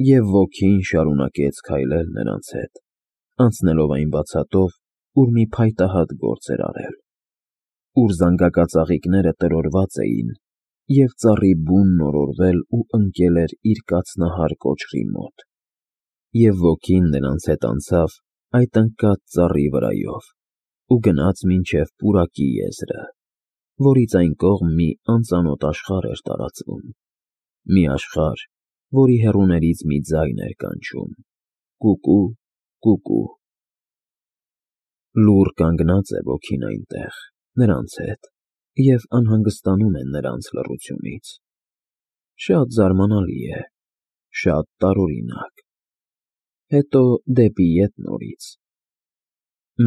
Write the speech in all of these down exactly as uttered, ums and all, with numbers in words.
Եվ ոգին շարունակեց քայլել նրանց հետ, անցնելով այն բացատով, ուր մի փայտահատ գործ էր արել, ուր զանգակածաղիկները տրորված էին, և ծառի բունն օրորվել ու ընկել էր իր կացնահար կոճղի մոտ, և ոգին նրանց հետ անցավ այդ ընկած ծառի վրայով ու գնաց մինչև պուրակի եզրը, որից այն կողմ մի անծանոթ աշխարհ էր տարածվում, մի աշխարհ, որի հեռուներից մի ձայն էր կանչում. «Կուկու, կուկու»։ Լուռ կանգնած է ոգին այնտեղ, նրանց հետ, և անհանգստանում է նրանց լռությունից։ Շատ զարմանալի է, շատ տարօրինակ։ Հետո դեպի ետ նորից։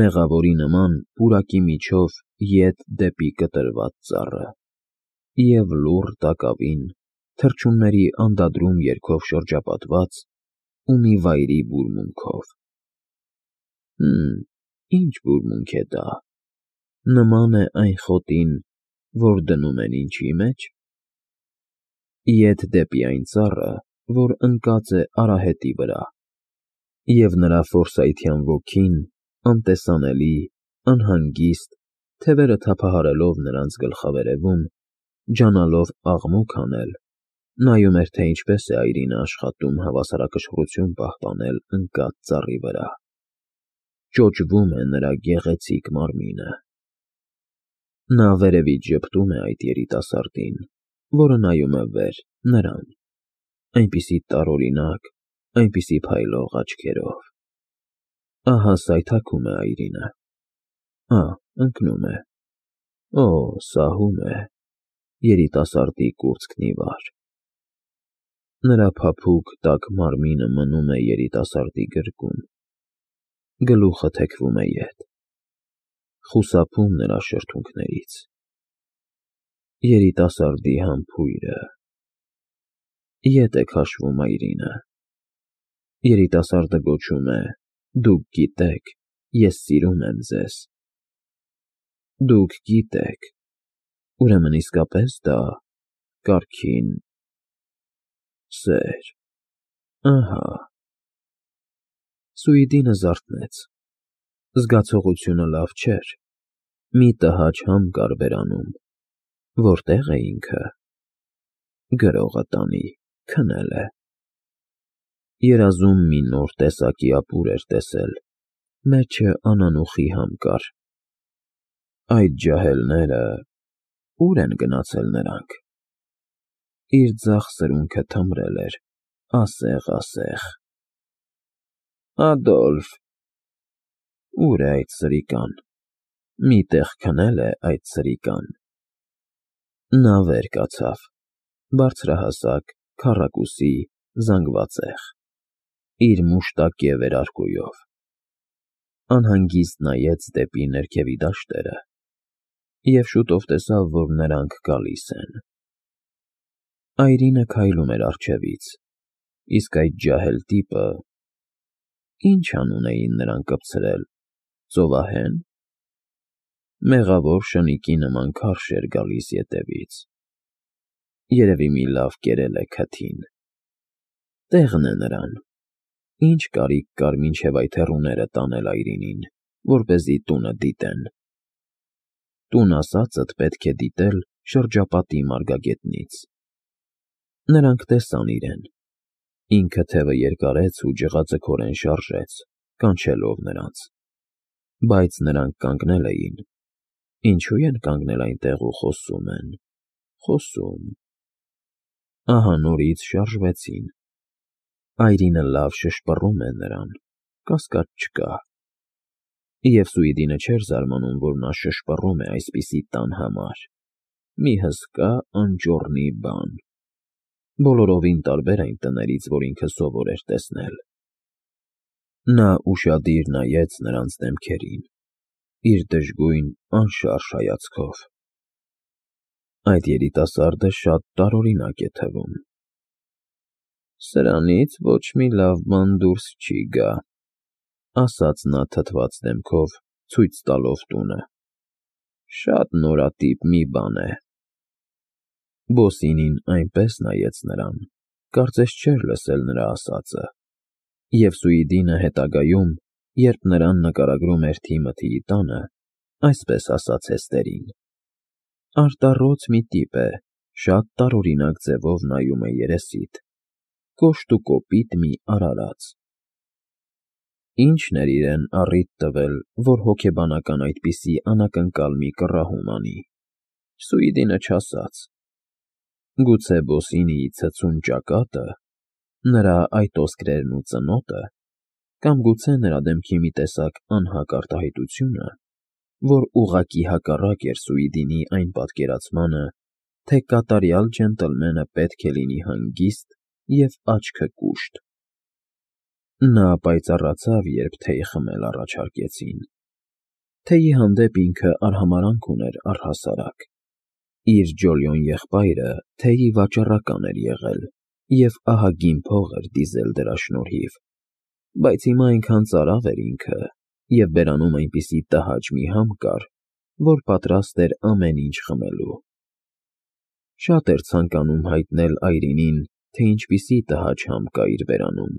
Մեղավորի նման պուրակի միջով ետ դեպի կտրված ծառը, և լուռ տակավին, թռչունների անդադրում երգով շրջապատված ու մի վայրի բուրմունքով։ Հըմ, ի՞նչ բուրմունք է դա, նման է այն խոտին, որ դնում են ինչի մեջ։ Ետ դեպի այն ծառը, որ ընկած է արահետի վրա, և նրա ֆորսայթյան ոգին, անտեսանելի, անհանգիստ, թևերը թափահարելով նրանց գլխավերևում, ջանալով աղմուկ անել, նայում էր, թե ինչպես է այրինը աշխատում հավասարակշռություն պահպանել ընկած ծառի վրա։ Ճոճվում է նրա գեղեցիկ մարմինը։ Նա վերևից ժպտում է այդ երիտասարդին, որը նայում է վեր, նրան, այնպիսի տարօրինակ, այնպիսի փայլող աչքերով։ Ահա սայթաքում է այրինը։ Ա, ընկնում է։ Օ, սահում է, երիտասարդի կուրծքն ի վար։ Նրա փափուկ, տաք մարմինը մնում է երիտասարդի գրկում, գլուխը թեքվում է ետ, խուսափում նրա շրթունքներից։ Երիտասարդի համբույրը… Ետ է քաշվում այրինը։ Երիտասարդը գոչում է. «Դուք գիտեք, ես սիրում եմ ձեզ»։ Դուք գիտեք… Ուրեմն իսկապես դա… կարգին… սեր… Ահա… Սուիդինը զարթնեց։ Զգացողությունը լավ չէր, մի տհաճ համ կար բերանում։ Որտե՞ղ է ինքը։ Գրողը տանի, քնել է։ Երազում մի նոր տեսակի ապուր էր տեսել, մեջը անանուխի համ կար։ Այդ ջահելները… Ո՞ւր են գնացել նրանք։ Իր ձախ սրունքը թմրել էր, ասեղ֊ասեղ։ Ադոլֆ… Ո՞ւր է այդ սրիկան։ Մի տեղ քնել է այդ սրիկան։ Նա վեր կացավ, բարձրահասակ, քառակուսի, զանգվածեղ, իր մուշտակե վերարկուով։ Անհանգիստ նայեց դեպի ներքևի դաշտերը և շուտով տեսավ, որ նրանք գալիս են։ Այրինը քայլում էր առջևից, իսկ այդ ջահել տիպը… Ի՞նչ անուն էին նրան կպցրել, ծովահե՞ն։ Մեղավոր շնիկի նման քարշ էր գալիս ետևից։ Երևի մի լավ կերել է քթին։ Տեղն է նրան։ Ինչ կարիք կար մինչև այդ հեռուները տանել այրինին, որպեսզի տունը դիտեն։ Տուն ասածդ պետք է դիտել շրջապատի մարգագետնից։ Նրանք տեսան իրեն։ Ինքը թևը երկարեց ու ջղաձգորեն շարժեց, կանչելով նրանց։ Բայց նրանք կանգնել էին։ Ինչո՞ւ են կանգնել այնտեղ ու խոսում են… խոսում… Ահա նորից շարժվեցին։ Այրինը լավ շշպռում է նրան, կասկած չկա։ Եվ Սուիդինը չէր զարմանում, որ նա շշպռում է այսպիսի տան համար։ Մի հսկա անճոռնի բան… Բոլորովին տարբեր այն տներից, որ ինքը սովոր էր տեսնել։ Նա ուշադիր նայեց նրանց դեմքերին, իր դժգույն, անշարժ հայացքով։ Այդ երիտասարդը շատ տարօրինակ է թվում։ Սրանից ոչ մի լավ բան դուրս չի գա, ասաց նա թթված դեմքով, ցույց տալով տունը։ Շատ նորատիպ մի բան է։ Բոսինին այնպես նայեց նրան, կարծես չէր լսել նրա ասածը, և Սուիդինը հետագայում, երբ նրան նկարագրում էր Թիմոթիի տանը, այսպես ասաց Հեստերին. «Արտառոց մի տիպ է, շատ տարօրինակ ձևով նայում է երեսիդ, կոշտ ու կոպիտ մի արարած»։ Ի՞նչն էր իրեն առիթ տվել, որ հոգեբանական այդպիսի անակնկալ մի կռահում անի, Սուիդինը չասաց։ Գուցե Բոսինիի ցցուն ճակատը, նրա այտոսկրերն ու ծնոտը, կամ գուցե նրա դեմքի մի տեսակ անհակ արտահայտությունը, որ ուղղակի հակառակ էր Սուիդինի այն պատկերացմանը, թե կատարյալ ջենտլմենը պետք է լինի հանգիստ և աչքը կուշտ։ Նա պայծառացավ, երբ թեյ խմել առաջարկեցին։ Թեյի հանդեպ ինքը արհամարհանք ուներ առհասարակ։ Իր ջոլյոն եղբայրը թեյի վաճառական էր եղել և ահագին փող էր դիզել դրա շնորհիվ, բայց հիմա այնքան ծարավ էր ինքը, և բերանում այնպիսի տհաճ մի համ կար, որ պատրաստ էր ամեն ինչ խմելու։ Շատ էր ցանկանում հայտնել Այրինին, թե ինչպիսի տհաճ համ կա իր բերանում։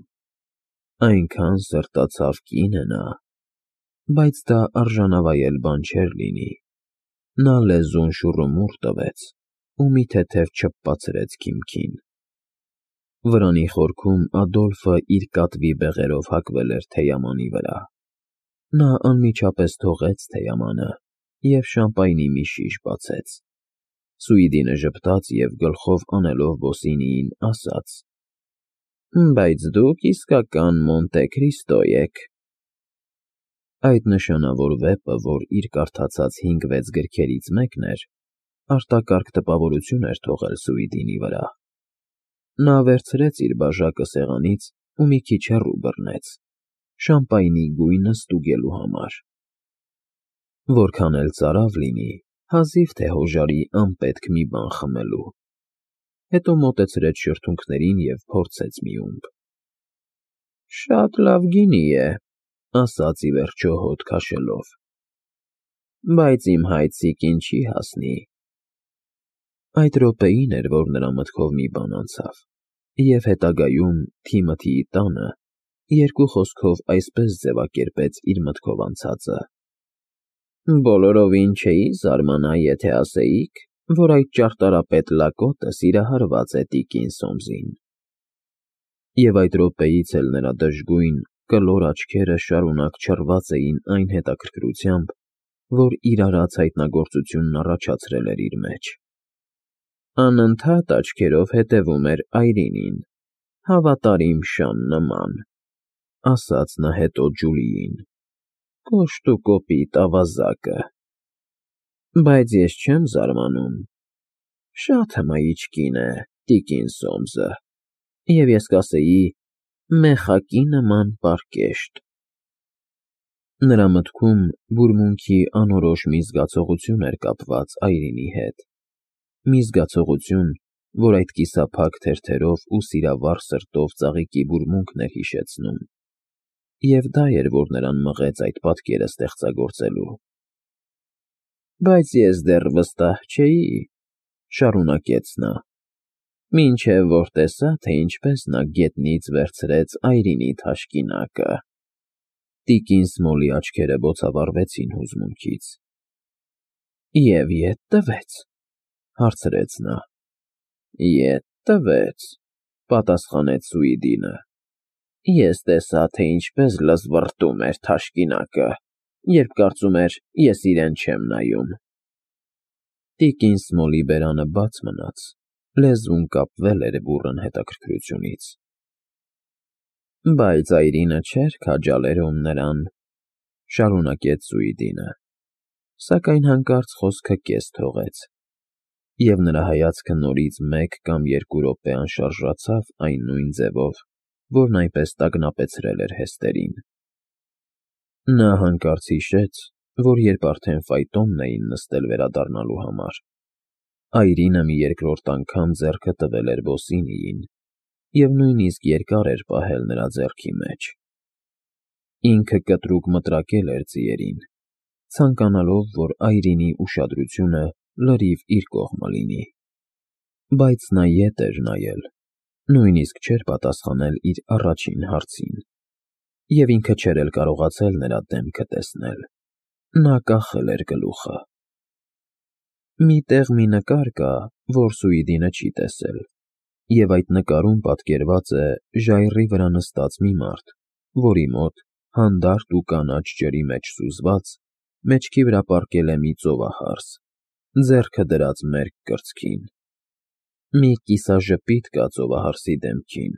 Այնքան սրտացավ կին է նա, բայց դա արժանավայել բան չէր լինի։ Նա լեզուն շուռումուռ տվեց ու մի թեթև չփպացրեց քիմքին։ Վրանի խորքում Ադոլֆը իր կատվի բեղերով հագվել էր թեյամանի վրա։ Նա անմիջապես թողեց թեյամանը և շամպայնի մի շիշ բացեց։ Սուիդինը ժպտաց և գլխով անելով Բոսինիին ասաց. «Բայց դուք իսկական Մոնտե Քրիստո եք»։ Այդ նշանավոր վեպը, որ իր կարդացած հինգ֊վեց գրքերից մեկն էր, արտակարգ տպավորություն էր թողել Սուիդինի վրա։ Նա վերցրեց իր բաժակը սեղանից ու մի քիչ հեռու բռնեց, շամպայնի գույնը ստուգելու համար։ Որքան էլ ծարավ լինի, հազիվ թե հոժարի անպետք մի բան խմելու։ Հետո մոտեցրեց շրթունքներին և փորձեց մի ումպ։ «Շատ լավ գինի է», ասաց ի վերջո հոտ քաշելով, «բայց իմ հայցիկին չի հասնի»։ Այդ րոպեին էր, որ նրա մտքով մի բան անցավ, և հետագայում Թիմոթիի տանը, երկու խոսքով այսպես ձևակերպեց իր մտքով անցածը. «Բոլորովին չէի զարմանա, եթե ասեիք, որ այդ ճարտարապետ լակոտը սիրահարված է տիկին Սոմսին»։ Եվ այդ րոպեից էլ նրա դժգույն, կլոր աչքերը շարունակ չռված էին այն հետաքրքրությամբ, որ իր արած հայտնագործությունն առաջացրել էր իր մեջ։ Անընդհատ աչքերով հետևում էր Այրինին, հավատարիմ շան նման, ասաց նա հետո Ջուլիին, կոշտ ու կոպիտ ավազակը։ Բայց ես չեմ զարմանում, շատ հմայիչ կին է տիկին Սոմսը, և ես կասեի մեխակի նման պարկեշտ։ Նրա մտքում բուրմունքի անորոշ մի զգացողություն էր կապված Այրինի հետ, մի զգացողություն, որ այդ կիսափակ թերթերով ու սիրավառ սրտով ծաղիկի բուրմունքն էր հիշեցնում, և դա էր, որ նրան մղեց այդ պատկերը ստեղծագործելու։ «Բայց ես դեռ վստահ չէի», շարունակեց նա, «մինչև որ տեսա, թե ինչպես նա գետնից վերցրեց Այրինի թաշկինակը»։ Տիկին Սմոլի աչքերը բոցավառվեցին հուզմունքից։ «Եվ ետ տվեց», հարցրեց նա։ «Ետ տվեց», պատասխանեց Սուիդինը։ «Ես տեսա, թե ինչպես լզվռտում էր թաշկինակը, երբ կարծում էր, ես իրեն չեմ նայում»։ Տիկին Սմոլի բերանը բաց մնաց, լեզուն կապվել էր բուռն հետաքրքրությունից։ «Բայց Այրինը չէր քաջալերում նրան», շարունակեց Սուիդինը, սակայն հանկարծ խոսքը կես թողեց, և նրա հայացքը նորից մեկ կամ երկու րոպե անշարժացավ այն նույն ձևով, որն այնպես տագնապեցրել էր Հեստերին։ Նա հանկարծ հիշեց, որ երբ արդեն ֆայտոնն էին նստել վերադառնալու համար, Այրինը մի երկրորդ անգամ ձեռքը տվել էր Բոսինիին և նույնիսկ երկար էր պահել նրա ձեռքի մեջ։ Ինքը կտրուկ մտրակել էր ձիերին, ցանկանալով, որ Այրինի ուշադրությունը լրիվ իր կողմը լինի։ Բայց նա ետ էր նայել, Նույնիսկ չէր պատասխանել իր առաջին հարցին, և ինքը չէր էլ կարողացել նրա դեմքը տեսնել. նա կախել էր գլուխը։ Մի տեղ մի նկար կա, որ Սուիդինը չի տեսել, և այդ նկարում պատկերված է ժայռի վրա նստած մի մարդ, որի մոտ, հանդարտ ու կանաչ ջրի մեջ սուզված, մեջքի վրա պառկել է մի ծովահարս, ձեռքը դրած մերկ կրծքին։ Մի կիսաժպիտ կա ծովահարսի դեմքին,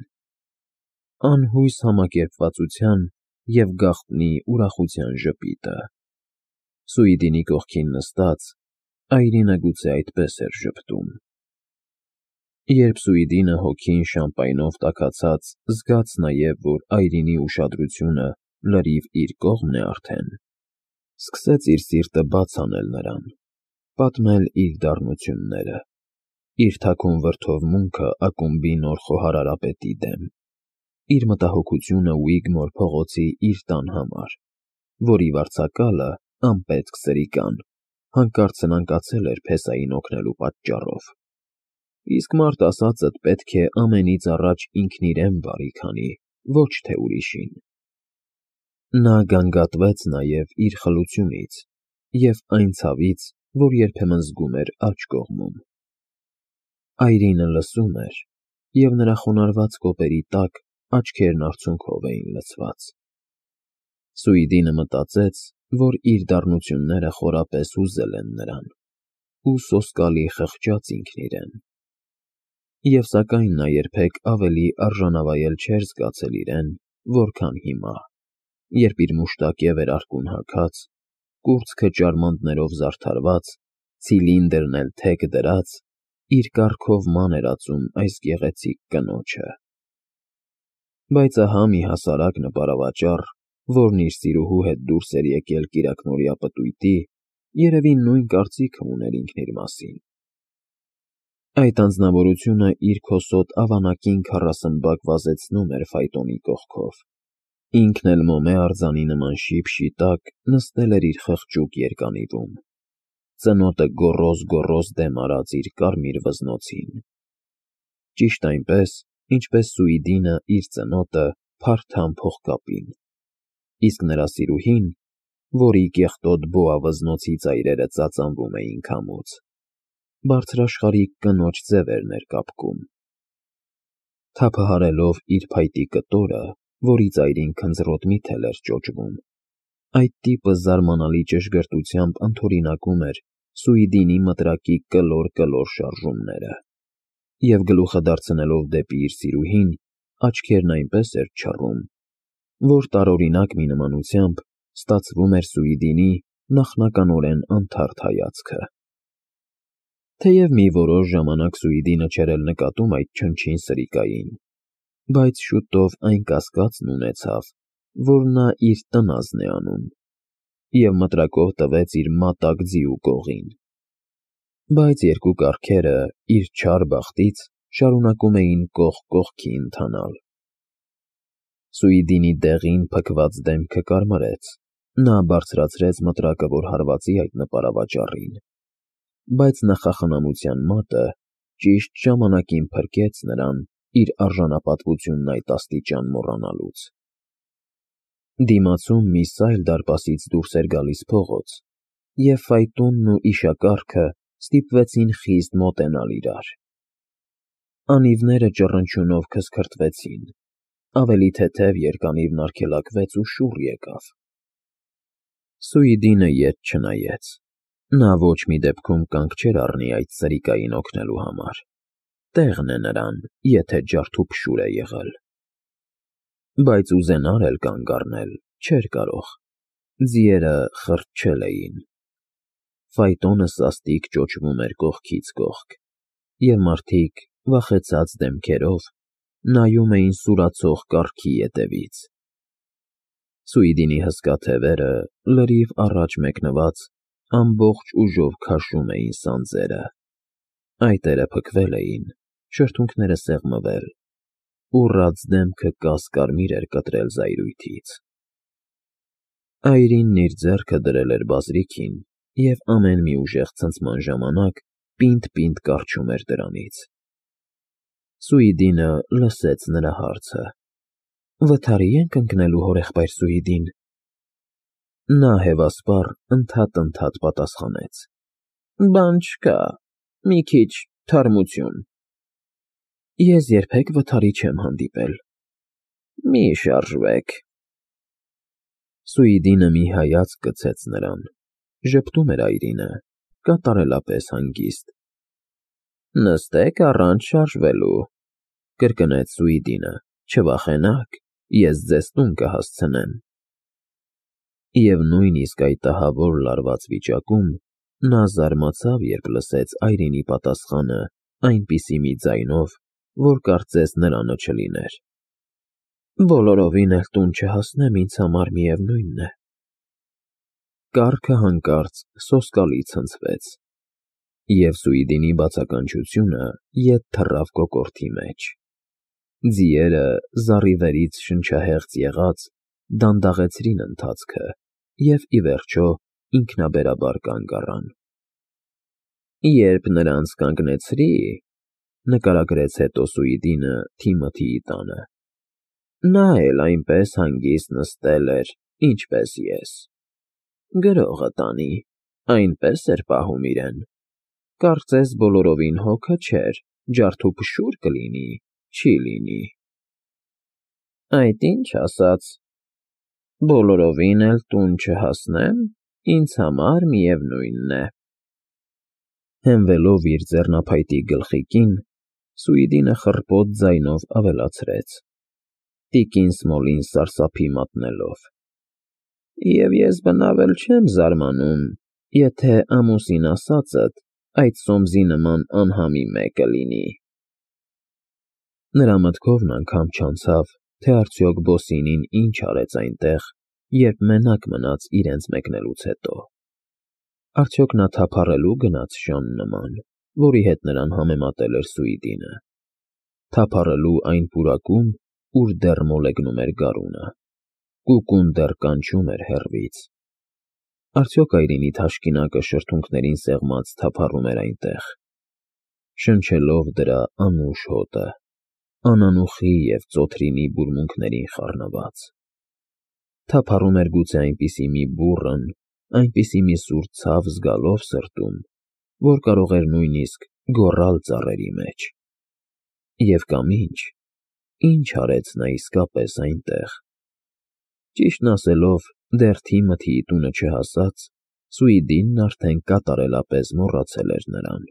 անհույս համակերպվածության և գաղտնի ուրախության ժպիտը։ Սուիդինի կողքին նստած, այրինը գուցե այդպես էր ժպտում։ Երբ Սուիդինը հոգին շամպայնով տաքացած զգաց նաև, որ այրինի ուշադրությունը լրիվ իր կողմն է արդեն, սկսեց իր սիրտը բաց անել նրան, պատմել իր դառնությունները, իր թաքուն վրդովմունքը ակումբի նոր խոհարարապետի դեմ, իր մտահոգությունը Ուիգմոր փողոցի իր տան համար, որի վարձակալը, անպետք սրիկան, հանկարծ սնանկացել էր փեսային օգնելու պատճառով, իսկ մարդ ասածդ պետք է ամենից առաջ ինքն իրեն բարի քանի, ոչ թե ուրիշին։ Նա գանգատվեց նաև իր խլությունից և այն ցավից, որ երբեմն զգում էր աջ կողմում։ Այրինը լսում էր, և նրա խոնարհված կոպերի տակ աչքերն արցունքով էին լցված։ Սուիդինը մտածեց, որ իր դառնությունները խորապես հուզել են նրան, ու սոսկալի խղճաց ինքն իրեն։ Եվ սակայն նա երբեք ավելի արժանավայել չէր զգացել իրեն, որքան հիմա, երբ իր մուշտակե վերարկուն հագած, կուրծքը ճարմանտներով զարդարված, ցիլինդրն էլ թեք դրած, իր կառքով ման էր ածում այս գեղեցիկ կնոջը։ Բայց ահա մի հասարակ նպարավաճառ, որն իր սիրուհու հետ դուրս էր եկել կիրակնօրյա պտույտի, երևի նույն կարծիքը ուներ ինքն իր մասին։ Այդ անձնավորությունը իր քոսոտ ավանակին քառասմբակ վազեցնում էր փայտոնի կողքով, ինքն էլ մոմե արձանի նման շիփշի տակ նստել էր իր խղճուկ երկանիվում, ծնոտը գոռոզ֊գոռոզ դեմ արած իր կարմիր վզնոցին, ճիշտ այնպես, ինչպես Սուիդինը իր ծնոտը փարթամ փողկապին, իսկ նրա սիրուհին, որի կեղտոտ բոա֊վզնոցի ծայրերը ծածանվում էին քամուց, բարձրաշխարհիկ կնոջ ձևերն էր կապկում։ Թափահարելով իր փայտի կտորը, որի ծայրին քնձռոտ միթել էր ճոճվում, այդ տիպը զարմանալի ճշգրտությամբ ընդօրինակում էր Սուիդինի մտրակի կլոր֊կլոր շարժումները, և գլուխը դարձնելով դեպի իր սիրուհին, աչքերն այնպես էր չռում, որ տարօրինակ մի նմանությամբ ստացվում էր Սուիդինի նախնականորեն անթարթ հայացքը։ Թեև մի որոշ ժամանակ Սուիդինը չէր էլ նկատում այդ չնչին սրիկային, բայց շուտով այն կասկածն ունեցավ, որ նա իր տնազն է անում, և մտրակով տվեց իր մատակ ձիու կողին։ Բայց երկու կառքերը, իր չար բախտից, շարունակում էին կողք կողքի ընթանալ։ Սուիդինի դեղին փքված դեմքը կարմրեց, նա բարձրացրեց մտրակը, որ հարվածի այդ նպարավաճառին, բայց նախախնամության մատը ճիշտ ժամանակին փրկեց նրան իր արժանապատվությունն այդ աստիճան մոռանալուց։ Դիմացում մի սայլ դարպասից դուրս էր գալիս փողոց, և փայտոնն ու իշակառքը ստիպվեցին խիստ մոտենալ իրար։ Անիվները ճռնչյունով քսքրտվեցին, ավելի թեթև երկանիվն արգելակվեց ու շուռ եկավ։ Սուիդինը ետ չնայեց, նա ոչ մի դեպքում կանգ չէր առնի այդ սրիկային օգնելու համար, տեղն է նրան, եթե ջարդուփշուր է եղել։ Բայց ուզենար էլ կանգ առնել չէր կարող, ձիերը խրտչել էին։ Ֆայտոնը սաստիկ ճոճվում էր կողքից կողք, և մարդիկ, վախեցած դեմքերով, նայում էին սուրացող կառքի ետևից։ Սուիդինի հսկա թևերը, լրիվ առաջ մեկնված, ամբողջ ուժով քաշում էին սանձերը, այտերը փքվել էին, շրթունքները սեղմվել, ուռած դեմքը կաս֊կարմիր էր կտրել զայրույթից։ Այրինն իր ձեռքը դրել էր բազրիքին և ամեն մի ուժեղ ցնցման ժամանակ պինդ֊պինդ կառչում էր դրանից։ Սուիդինը լսեց նրա հարցը։ Վթարի ենք ընկնելու հորեղբայր Սուիդին։ Նա հևասպառ ընդհատ-ընդհատ պատասխանեց. Բան չկա, մի քիչ թարմություն։ Ես երբեք վթարի չեմ հանդիպել։ Մի շարժվեք։ Սուիդինը մի հայացք գցեց նրան, ժպտում էր այրինը, կատարելապես հանգիստ։ Նստեք առանց շարժվելու, կրկնեց Սուիդինը, չվախենաք, ես ձեզ տուն կհասցնեմ։ Եվ նույնիսկ այդ ահավոր լարված վիճակում նա զարմացավ, երբ լսեց այրինի պատասխանը այնպիսի մի ձայնով, որ կարծես նրանը չլիներ. Բոլորովին էլ տուն չհասնեմ, ինձ համար միևնույն է։ Կառքը հանկարծ սոսկալի ցնցվեց, և Սուիդինի բացականչությունը ետ թռավ կոկորդի մեջ։ Ձիերը, զառիվերից շնչահեղձ եղած, դանդաղեցրին ընթացքը և, ի վերջո, ինքնաբերաբար կանգ առան։ Երբ նրանց կանգնեցրի, նկարագրեց հետո Սուիդինը Թիմոթիի տանը, նա էլ այնպես հանգիստ նստել էր, ինչպես ես։ Գրողը տանի, այնպես էր պահում իրեն։ Կարծես բոլորովին հոգը չէր, ջարդուփշուր կլինի, չի լինի։ Այդ ինչ ասաց. բոլորովին էլ տուն չհասնեմ, ինձ համար միևնույն է։ Հենվելով իր ձեռնափայտի գլխիկին, Սուիդինը խռպոտ ձայնով ավելացրեց, տիկին Սմոլին սարսափի մատնելով. Եվ ես բնավ էլ չեմ զարմանում, եթե ամուսին ասածդ այդ սոմզի նման անհամի մեկը լինի։ Նրա մտքովն անգամ չանցավ, թե արդյոք Բոսինին ինչ արեց այնտեղ, երբ մենակ մնաց իրենց մեկնելուց հետո։ Արդյոք նա թափառելու գնաց շան նման, որի հետ նրան համեմատել էր Սուիդինը։ Թափառելու այն պուրակում, ուր դեռ մոլեգնում էր գարունը, կուկուն դեռ կանչում էր հեռվից։ Արդյոք այրինի թաշկինակը շրթունքներին սեղմած թափառում էր այնտեղ, շնչելով դրա անուշ հոտը, անանուխի և ծոթրինի բուրմունքներին խառնված։ Թափառում էր գուցե այնպիսի մի բուռն, այնպիսի մի սուր ցավ զգալով սրտում, որ կարող էր նույնիսկ գոռալ ծառերի մեջ։ Եվ կամ ինչ, ինչ արեց նա իսկապես այնտեղ։ Ճիշտն ասելով, դեռ Թիմոթիի տունը չհասած, Սուիդինն արդեն կատարելապես մոռացել էր նրան։